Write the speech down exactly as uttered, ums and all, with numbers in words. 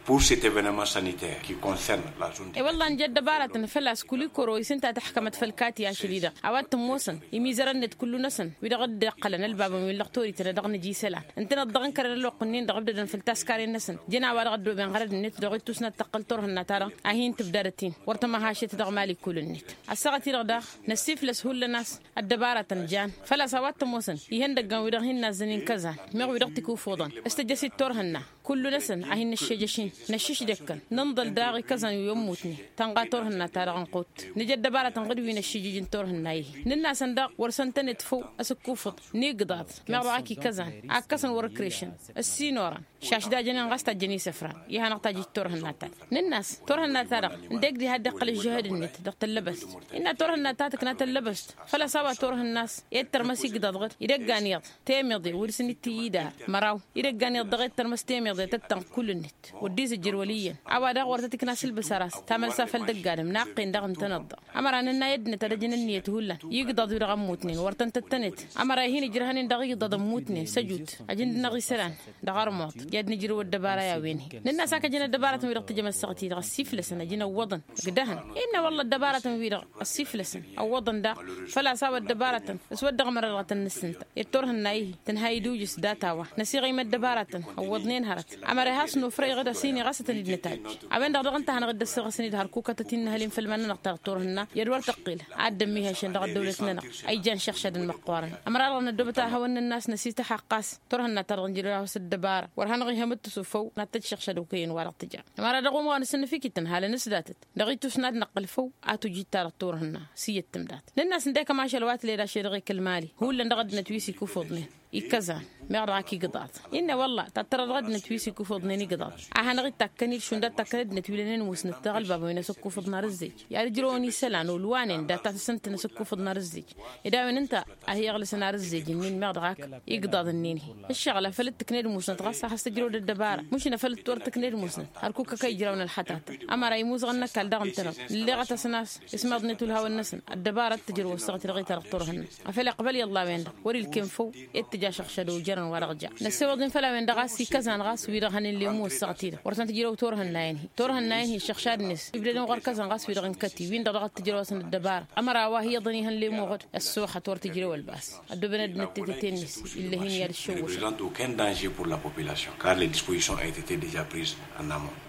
Pour cet evenement sanitaire qui concerne la zone de. E wălla nǝja ăddăbaratăn făl-a-s kul-ikoro isǝnta tăxkămăt făll-kati ašăl-i-dăɣ a-wa t-ămoosăn imizărăn-net kullu-năsăn wi-dăɣ dd-iqqălăn ălbabăn wi n-lăqtorităn a dăɣ-nǝja isălan ǝntăneḍ dăɣ-inkărăn ălwăqq-nin-dăɣ ǝbdădăn făll-taskaren-năsăn. Jăn a-wa dăɣ-ăddoben ɣărăd-net dăɣ-ittusna d-taqqăl turhǝnna-ta-dăɣ a hin-tǝbdadăt-in wăr tămăhašet dăɣ-mali kull-net. Ăssaɣăt-i-dăɣ daɣ năssiflăs hullan a-s ăddăbaratăn jan făl-a-s a-wa t-ămoosăn ihăndăggan wi-dăɣ hin-nazzăn inkăzan meɣ wi-dăɣ t-ikuffuḍăn s-tăjjăsit turhǝnna. Kullu-năsăn a hin-năššejăš-in năššǝšdăkkăn nǝnḍăl daɣ ikăzan wi ămmutnen tănɣa turhǝnna-ta-dăɣ ănqut. Nǝja ăddăbaratăn ɣǝd wi năššǝjǝj n-turhǝnna-i-hi nǝnn'-asăn daɣ wăr săn tăned făw asǝkkufǝḍ n-igḍaḍ meɣ dăɣ-ak ikăzan a ǝkkăsăn wăr-ǝkrešăn ăssinorăn šaš dajăn-in ɣas tajjăn isăfran i-hanăɣ-tajjǝj turhǝnna-ta-dăɣ. Nǝnn'-as turhǝnna-ta-dăɣ ǝndek diha dd-iqqăl ǝžžăhăd-net dăɣ-tăllăbăst. Innă turhǝnna ta tǝkna tăllăbăst făl-a-s a-wa turhǝnna a-s ed tărmăs igḍaḍ ɣǝd idăggan iyyăḍ temeḍe wăr-săn itǝyyǝd ar măraw idăggan iyyăḍ dăɣ-ed tărmăs temeḍe tăttănɣ kull-net. Wăr dd-izǝjjăr wăl' iyyăn a-wa daɣ wăr tăt-ikna s-ǝlbǝs ar a-s tamălsa făll-dăgg-adǝm naqqen daɣ ǝntăneḍ-dăɣ. Ămăra nǝnna i-ăddinăt ad-ăjăn ǝnniyăt hullan igḍaḍ-wi-dăɣ ămmutnen wăr tăn-tăttănet. Ămăra i-hin-ijrăhăn-in dăɣ-igḍaḍ ămmutnen s-ăjut ajǝn-dăɣ isălan dăɣ-armuḍ i-ad-nǝjrǝw ăddăbara i-a-wen-hi. Nǝnn'-as ak ăjăn ăddăbaratăn-wi-dăɣ tǝjăm ăssaɣăt-i-dăɣ ăssiflăsăn ăjǝn ăwwăḍăn ǝgdăhăn. Innă wălla ăddăbaratăn-wi-dăɣ ăssiflăsăn ăwwăḍăn daɣ făl-a-s a-wa ăddăbaratăn s-wăr dăɣ-mărăḍăɣ tăn-nǝssǝnta ed turhǝnna-i-hi tǝnha idujǝs data-wa. Năsiɣim ăddăbaratăn ăwwăḍnen hărăt ămăra i-has-nufrăy ɣǝd ăsini ɣas ad-tăn-dd-nǝtajj. A-wen-dăɣ daɣ ǝnta a hanăɣ-dd-ăssăɣăsăn-dd hărkukătăt-in n-ehăl-in făll-iman-nănăɣ ta dăɣ-turhǝnna i-ad-wăr tăqqil ad-dd-ămmihăšăn dăɣ-ăddăwlăt-nănăɣ a ijan šăɣšadăn măqqoorăn. Ămăra dăɣ-năddobăt a hawăn nǝnn'-as năsităxăɣ ɣas turhǝnna-ta-dăɣ nǝjrăd a husăt ăddăbara wăr hanăɣ-ihămǝttǝsu făw n-ad-tăjj šăɣšăd okăyăn-wa-dăɣ tǝja. Ămăra dăɣ-umɣan s-nǝfikităn halăn s-datăt dăɣ-itusna ad-năqqǝl făw a tujǝy-ta-dăɣ turhǝnna s-iyyăt tǝmdat. Nǝnn'-as ǝndek ămašal wa tǝled ašăl-i-dăɣ i-kăl-mali hullan dăɣ-ăddinăt wi s-ikufuḍnen ikăzan meɣ dăɣ-ak igḍaḍ. Innă wălla tattărăḍ dăɣ-ăddinăt wi s-ikufuḍnen igḍaḍ a hanăɣ-dd-takkăn-dd šund ad-takkăn ăddinăt wi lănen musnăt dăɣ-ălbabăn wi n-asǝkkufăḍ n-arǝzzej i-ad-ǝjrăwăn isălan olwanen data-tăsăn-tăn asǝkkufăḍ n-arǝzzej. Ed a-wen ǝnta a hi-iɣlǝsăn arǝzzej-nin meɣ dăɣ-ak igḍaḍ-nin-hi. Ǝššăɣǝl afăl dd-tǝkned musnăt ɣas a has-tǝjrăwăd ăddăbara măšin afăl dd-wăr tǝkned musnăt hărkuk ăkăy ijrawăn ălxătatăn. Ămăra imuzăɣăn n-ăkall daɣ ǝntăneḍ nǝlleɣăt-asăn a-s ismaḍnet ulhawăn-năsăn ăddăbara d-tǝjrăw ăssaɣăt-i-dăɣ i-ta-dăɣ turhǝnna. Afăl iqbăl iyyăḍ la-wen-dăɣ wăr-ilkem făw ed tǝja šăɣšăd ojărăn wa dăɣ-ja. Năssewăḍ-in făll-a-wen-dăɣ a-s ikăzan ɣas wi-dăɣ hănen lemmu ăssaɣăt-i-dăɣ wăr tăn-tǝjrăw turhǝnna-in-hi turhǝnna-in-hi šăɣšadnet ibdădăn ɣur-kăzan ɣas wi-dăɣ n-kăti-win-dăɣ dăɣ-ad-tǝjrăw-asăn ăddăbara. Ămăra a-wa hi-iyyăḍăn ihăn lemmu ɣǝd ăssuxăt wăr tǝjrăw ălbas. Ăddooben ăddinăt tetet-net-i illa hin-i ad-ǝššăwwăšăn. Prezente aucun danger pour la population car les dispositions ont été déjà prises en amont.